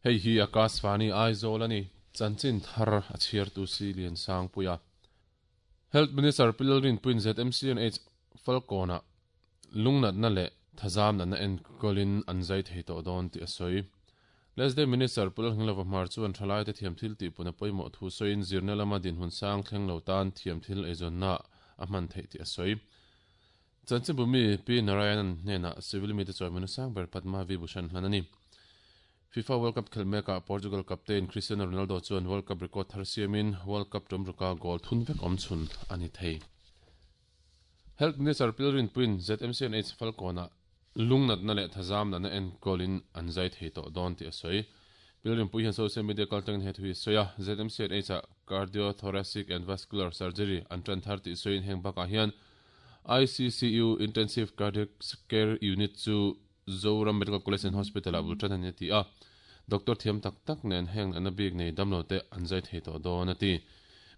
Hei hi Akashvani Aizawl a ni. Chanchin thar a chhiartu si Liansangpuia. Health Minister Pi Lalrinpuiin ZMCNH Falkawnah lungnatna leh thazam natna enkawlin an zai thei tawh dawn tih a sawi. Lesday Minister Pu Lalhnglova Hmar chuan thalaite thiam thil tihpun a pawimawh thu sawiin zirna lama dinhmun sang thleng lo tan thiam thil eizawnna a hman theih tih a sawi. Chanchinbu mi Pi Narayanan hnenah civil mite chawimawina sang ber Padma Vibhushan hlan a ni. FIFA World Cup khelh mekah Portugal captain Cristiano Ronaldo chuan World Cup record thar siamin World Cup tumruka goal thun vek awm chhun a ni thei. Health Minister Pi Rinpuiin ZMCNH Falkawnah lungnatna leh thazam natna enkawlin an zai thei tawh dawn tih a sawi. Pi Rinpui hian social media kaltlangin he thu hi a sawi a, ZMCNH-ah Cardiothoracic and Vascular Surgery an tan thar tih sawiin heng bakah hian ICCU, Intensive Cardiac Care Unit, chu Zoram Medical College and Hospital-ah bul tan a ni a ti a, doctor thiam tak tak nen heng natna bik nei damlo te an zai thei tawh dawn a ti.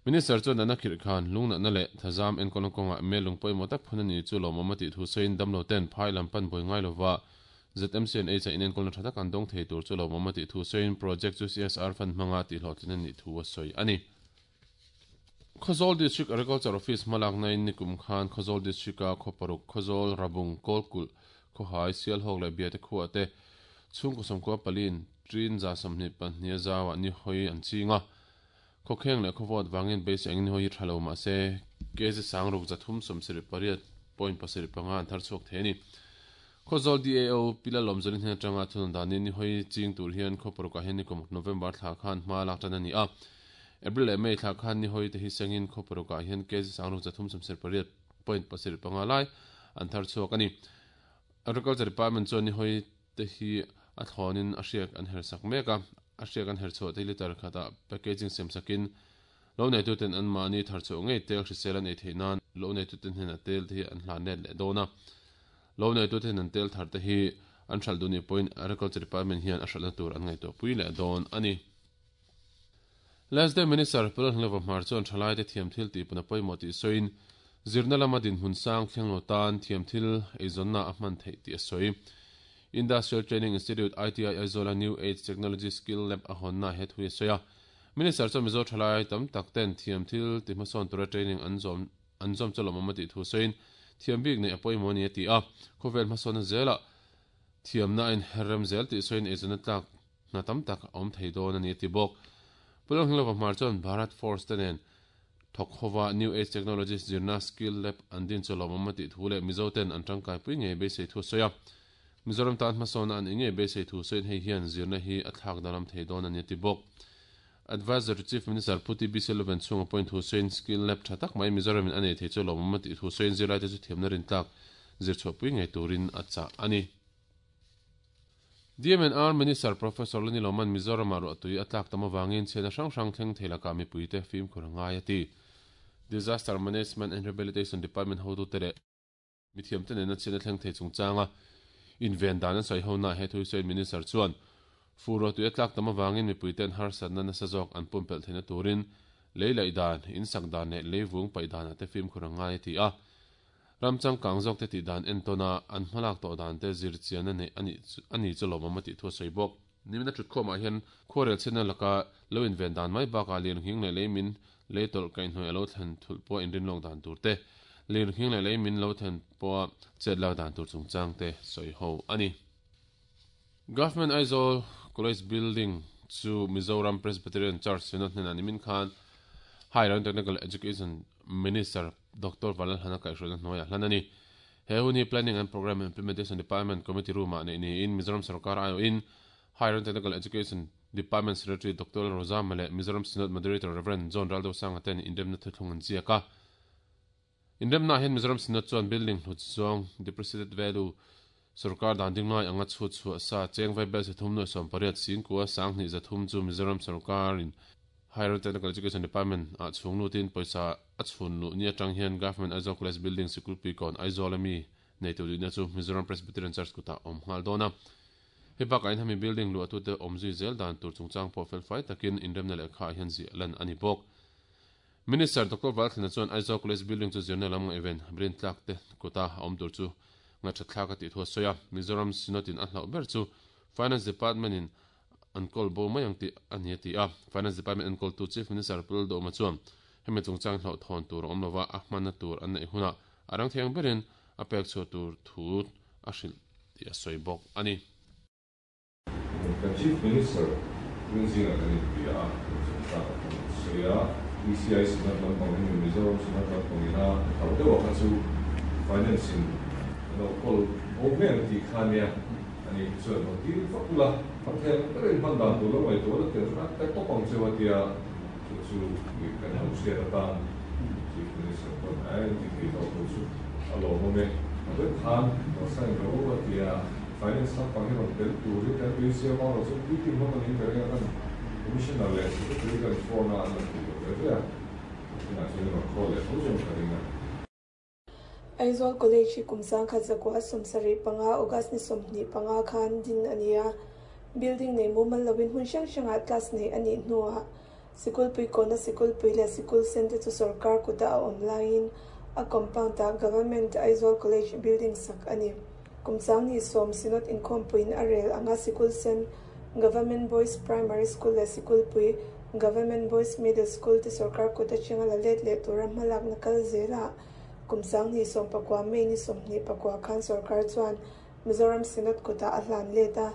Minister chuan natna khirh khan lungnatna leh thazam enkawlna kawngah mel lung pawimawh tak phun a ni chu lawmawm a tih thu sawiin damlo ten phai lam pan buai ngai lova ZMC and H-a inenkawlna tha tak an dawng thei tur chu lawmawm a tih thu sawiin project chu CSR fund hmanga tihhlawhtlin a nih thu a sawi a ni. Khawzawl District Agriculture Office hmalaknain nikum khan Khawzawl District-a khaw paruk, Khawzawl, Rabung, Kawlkulh, Khawhai, Sialhawk leh Biate khuaah te chhungkaw sawmkua paliin ṭin 22 zauah ni hawi an ching a. Khawkheng leh khawvawt vangin beisei angin ni hawi hi ṭha lo mah se kg sangruk 378.75 an thar chhuak thei a ni. Khawzawl DAO Pi Lalawmzawlin hnen aṭanga thunawn danin ni hawi ching tur hian khaw parukah hian nikum November thla khan hma lak ṭan a ni a. April leh May thla khan ni hawi te hi sengin khaw parukah hian kg sangruk 378.75 lai an thar chhuak a ni. Agriculture Department chuan ni hawi te hi a thlawnin a hriak an her sak mek a, a hriak an her chhuah te hi litre khatah packaging siam sakin lo neituten anmahni thar chhuah ngei tel hrisel an ei theih nan lo neituten hnenah tel te hi an hlan let leh dawn a. Lo neituten an tel thar te hi an hralh duh nih pawhin Agriculture Department hian a hralhna tur an ngaihtuahpui leh dawn a ni. Lesday Minister Pu Lalhnglova Hmar chuan thalaite thiam thil tihpun a pawimawh tih sawiin zirna lama dinhmun sang thleng lo tan thiam thil eizawnna a hman theih tih a sawi. Industrial Training Institute, ITI, Aizawla New Age Technology Skill Lab a hawnna he thu hi a sawi a. Minister chuan Mizo thalai tam tak ten thiam thil ti hmasawn tura training an zawm an zawm chu lawmawm a tih thu sawiin thiam bik neih a pawimawh a ni a ti a. Khawvel hmasawnna zelah thiamna a inherrem zel tih sawiin eizawnna tlak Hna tam tak a awm thei dawn a ni a ti bawk. Pu Lalhnglova Hmar chuan Bharat Force te nen thawk hova New Age Technologies zirna Skill Lab an din chu lawmawm a tih thu leh Mizo ten an tangkaipui ngei beisei thu a sawi a. Mizoram tan hmasawnna an ih ngei beisei thu sawiin hei hian zirna hi a thlak danglam thei dawn a ni a ti bawk. Advisor to Chief Minister Pu TB Selvan chhunga pawhin thu sawiin Skill Lab tha tak mai Mizoramin a nei thei chu lawmawm a tih thu sawiin zirlaite chu thiamna rintlak zirchhuahpui ngei turin a chah a ni. DMNR Minister Professor Lani Loman Mizoramah ruahtui a tlak tam avangin chhiatna hrang hrang thleng thei lakah mipuite fimkhur a ngai a ti. Disaster Management and Rehabilitation Department hotute leh mithiamte nena chhiatna thleng thei chungchanga inven dan an sawi hona he thu hi sawiin Minister chuan fur ruahtui a tlak tam avangin mipuite'n harsatna nasa zawk an pumpelh theihna turin lei laih dan, insak dan leh leivung paih danah te fimkhur a ngai a ti a. Ram changkang zawkte tih dan entawn a, an hmalak tawh dan te zir chian a neih a nih a ni chu lawmawm a tih thu a sawi bawk. Nimin a thutkhawmah hian khuarel chhiatna laka lo inven dan mai bakah lirnghing leh leimin lei tawlh kaihhnawih a lo thlen thulh pawha inrinlawk dan tur te, lirnghing leh leimin lo thlen pawha chet lak dan tur chungchang te sawi ho a ni. Government Aizawl College Building chu Mizoram Presbyterian Church Synod hnenah nimin khan Higher and Technical Education Minister Doctor Vanlalhana kaihhruaina hnuaiah hlan a ni. He hun hi Planning and Programme Implementation Department Committee Room-ah neih niin Mizoram Sorkar aiawhin Higher and Technical Education Department Secretary Doctor Lalrozama leh Mizoram Synod Moderator Rev. John Raldosanga ten inremna thuthlung an ziak a. Inremnaah hian Mizoram Synod chuan building hlut zawng, depreciated value, sorkar dan ding ngai anga chhut chhuah sa cheng vai bel sathum nuaih sawmpariat singkua sanghnih zathum chu Mizoram sorkarin Higher Technical Education Department ah chhung lutin pawisa a chhun luh ni atang hian Government Aizawl College Building Sikulpui kawn Aizawl a mi neitu duhna chu Mizoram Presbyterian Church kutah a awm nghal dawn a. Hei bakah hian hemi building luahtute awm zui zel dan tur chungchang pawh felfai takin inremna lehkha ah hian ziah lan a ni bawk. Minister Doctor Valthlina chuan Aizawl College Building chu zirna lam ngaihven rin tlak te kuta a awm tur chu ngaihṭhat thlak a tih thu a sawi a. Mizoram Synod in a hlauh ber chu Finance Department in an kawl bo mai ang tih a ni a ti a. Finance Department enkawltu Chief Minister Pu Lalduhawma chuan hemi chungchang hlauhthawn tur a awm lova, a hmanna tur an neih hunah a rang thei ang berin a pek chhuah tur thu a hrilh tih a sawi bawk a ni. Kan Chief Minister tun zingah kan inbia a, kan chungchang a kan sawi a, ECI Synod lampang hi Mizoram Synod lampang ina hlauh deuh a kha chu Finance in an lo kawl bo mai ang tih kha nia, ani hi chuan rawn dil vak ula, kan thei ang berin hman dan tur lo ngaihtuah la tel khan ka tawp ang cheu a tia, chu chu kan lo hriat atan Chief Minister pawn a inti thei tawh tur chu a lawmawm e, a vek khan rawn sign rawh u a tia. Finance lampang hi rawn tel turin kan beisei a, Maurawh chuan puitling hlawm a niin ka ring a, kan Commissioner leh Secretary kan phone a, an rawn ti lo ve ve a, tunah chuan i rawn call leh tho chuan ka ring a. Aizawl College hi kum 1975 August ni 25 khan din a ni a, building nei mumal loin hmun hrang hrangah class neih a nih hnuah Sikulpui kawna Sikulpui leh Sikul sen te chu sorkar kuta a awm laiin a compound-ah Government Aizawl College building sak a ni. Kum changni sawm Synod inkhawmpuiin a rel anga Sikul sen Government Boys Primary School leh Sikulpui Government Boys Middle School te sorkar kut atanga la let leh tura hmalakna kal zelah kum changni 19 May ni 24 khan sorkar chuan Mizoram Synod kutah a hlan let a.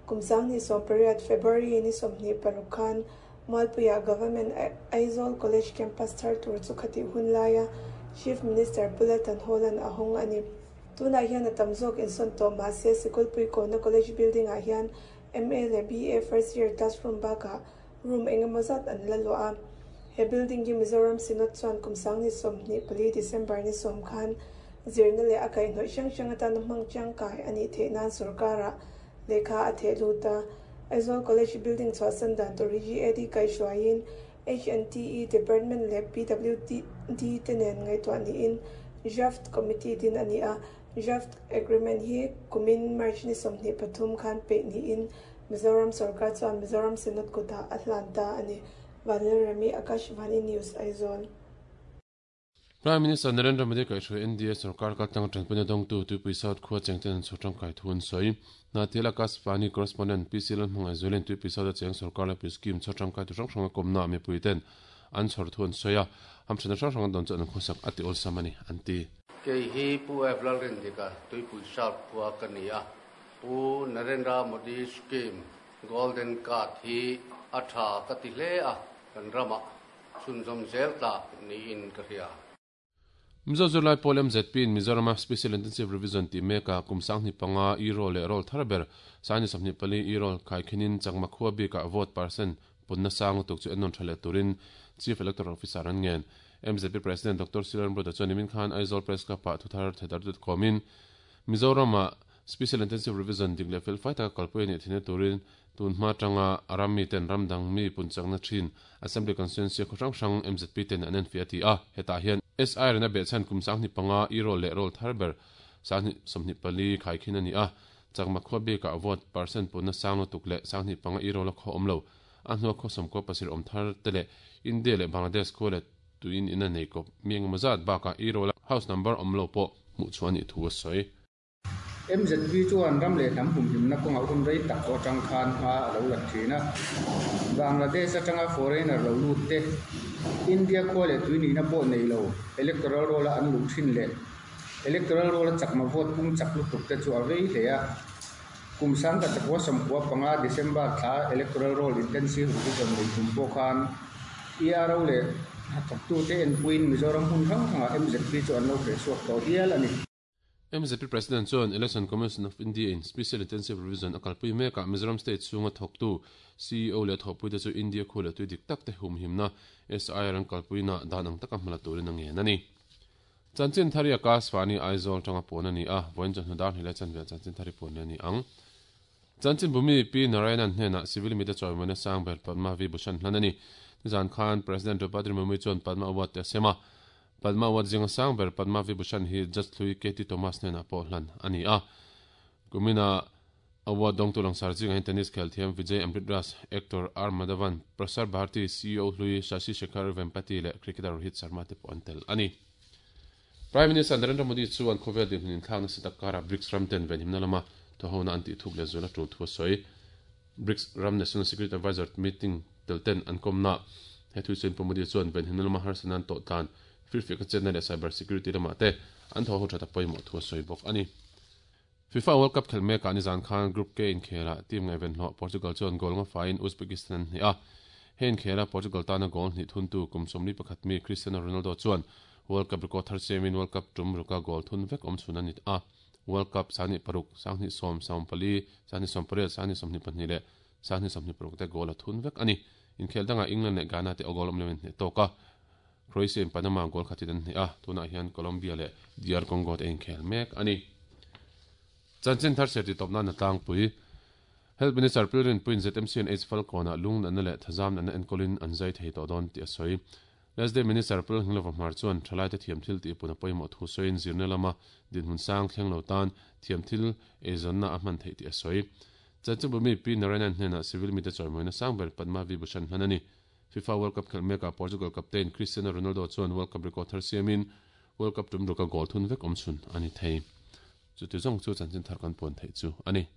Kum 2008 February ni 26 khan Mualpuiah Government Aizawl College campus thar tur chu khatih hun laia Chief Minister Pu Laltan Hawla'n a hawng a ni. Tunah hian a tam zawk insawn tawh mah se Sikulpui Kawna College building-ah hian MA leh BA first year classroom bakah room eng emaw zat an la luah a. He building hi Mizoram Synod chuan kum 2024 December ni 10 khan zirna leh a kaihhnawih hrang hrang atana hmang tangkai a nih theih nan sorkarah lehkha a theh lut a. Aizawl College building chhuahsan dan tur hi GAD kaihhruaiin HNTE Department leh PWD te nen ngaihtuah niin Draft Committee din a ni a. Draft Agreement hi kumin March ni 23 khan peih niin Mizoram sorkar chuan Mizoram Synod kutah a hlan ta a ni. Vanlalremi, Akashvani News, Aizawl. Prime Minister Narendra Modi kaihhruai NDA sorkar kaltlang tanpuina dawngtu Tuipui South khua chengten an chhawr tangkai thu an sawi. Hnahthial Akashvani Correspondent PC Lalhmangaih Zualin Tuipui South a cheng sorkar laipui scheme chhawr tangkai tu hrang hrang a kawmnaah mipuiten an chhawr thu an sawi a, hamthatna hrang hrang an dawn chu an khawsak a ti awlsam a ni, an ti. Kei hi Pu F Lalrindika, Tuipui South khua ka ni a. Pu Narendra Modi scheme Golden Card hi a tha ka ti hle a, kan ramah chhunzawm zel tlak niin ka hria. Mizo zirlai pawl MZP in Mizorama Special Intensive Revision tih mekah kum 25 e-roll leh roll thar ber 24 e-roll khaikhinin Chakma khua bikah vote percent punna sang lutuk chu ennawn tha leh turin Chief Electoral Officer an ngen. MZP President Doctor Silan Broda chuan nimin khan Aizawl Press Club-ah thuthar thedar kawmin Mizorama Special Intensive Revision dik leh felfai taka kalpui a nih theihna turin tun hma atanga a ram miten ram dang mi punchakna thin Assembly Constituency khaw hrang hrang MZP ten an enfiah a ti a, hetah hian SI rena behchhan kum 25 e-roll leh roll thar ber 24 khaikhin a ni a, Chakma khua bikah vote percent punna sang lutuk leh 25 e-roll a khaw awm lo, a hnua khaw sawmkua pasarih awm thar te leh India leh Bangladesh khua leh tuin in a nei kawp mi engemaw zat bakah e-roll a house number awm lo pawh hmuh chhuah a nih thu a sawi. MZP chuan ram leh hnam humhimna kawngah hun rei tak tawh atang khan hma a lo la thin a. Bangladesh atanga foreigner lo lut te, India khua leh tui nihna pawh nei lo electoral roll-a an luh thin leh electoral roll-a chakma vote pung chak lutuk te chu a vei hle a. Kum 1995 December thla electoral roll intensive revision nei tum pawh khan ERO leh hnathawktute enpuiin Mizoram hmun hrang hrangah MZP chu an lo hrehchhuak tawh hial a ni. MZP President chuan Election Commission of India in Special Intensive Revision a kalpui mekah Mizoram State chhunga thawktu CEO leh thawhpuite chu India khu leh tui dik tak te humhimna SIR an kalpuina dan ang taka hmala turin a ngen a ni. Chanchin Thari Akashvani Aizawl tanga puan a ni a, vawiin chawhnu dar hnih leh chanve ah Chanchin Thari puan leh a ni ang. Chanchin Bhumi Pi Narayanan hnenah Civil Media chawimawina sang ber Padma Vibhushan hlan a ni. Nizan khan President Draupadi Murmu chuan Padma Award te a sem a, Padma Award zinga sang ber Padma Vibhushan hi Judge hlui KT Thomas hnenah pawh hlan a ni a. Kumina award dawngtu langsar zingah hian tennis khel thiam Vijay Amritraj, actor R Madhavan, Prasar Bharati CEO hlui Shashi Shekhar Vempati leh cricketer Rohit Sharma te pawh an tel a ni. Prime Minister Narendra Modi chuan khawvel dinhmun inthlak nasa tak karah BRICS ram ten venhimna lama thawhona an tih thuk leh zual a tul thu a sawi. BRICS ram National Security Advisor meeting tel ten an kawmna he thu sawiin Pu Modi chuan venhimna lama harsatna an tawh tlan firfiak a chetna leh cyber security lamah te an thaw ho that a pawimawh thu a sawi bawk a ni. FIFA World Cup khelh mekah nizan khan Group K inkhelah team ngaihven hlawh Portugal chuan goal nga faiin Uzbekistan an hneh a. He inkhela Portugal tana goal hnih thuntu kum 41 mi Cristiano Ronaldo chuan World Cup record thar siamin World Cup tum ruka goal thun vek awm chhun a ni a. World Cup 2006, 2010, 14, 2018, 2022 leh 2026 te goal a thun vek a ni. Inkhel dangah England leh Ghana te goal awm loin hneh tawk a. Croatia in Panama goal khatin an hneh a, tunah hian Colombia leh DR Congo te inkhel mek a ni. Chanchin thar serti tawp nan a tlangpui. Health Minister Pilrin Puin ZMC an AIDS Falkawnah lung natna leh thazam natna enkawlin an zai thei tawh dawn tih a sawi. Lesday Minister Pil Hnglova Hmar chuan thalaite thiam thil tih pun a pawimawh thu sawiin zirna lama dinhmun sang thleng lo tan thiam thil eizawnna a hman theih tih a sawi. Chanchinbu mi Pi Narayanan hnenah civil mite chawimawina sang ber Padma Vibhushan hman a ni. FIFA World Cup khelh mekah Portugal captain Cristiano Ronaldo chuan World Cup record thar siamin World Cup tum ruka goal thun vek awm chhun a ni thei. Chuti zawng chu chanchin thar kan puan theih chu a ni.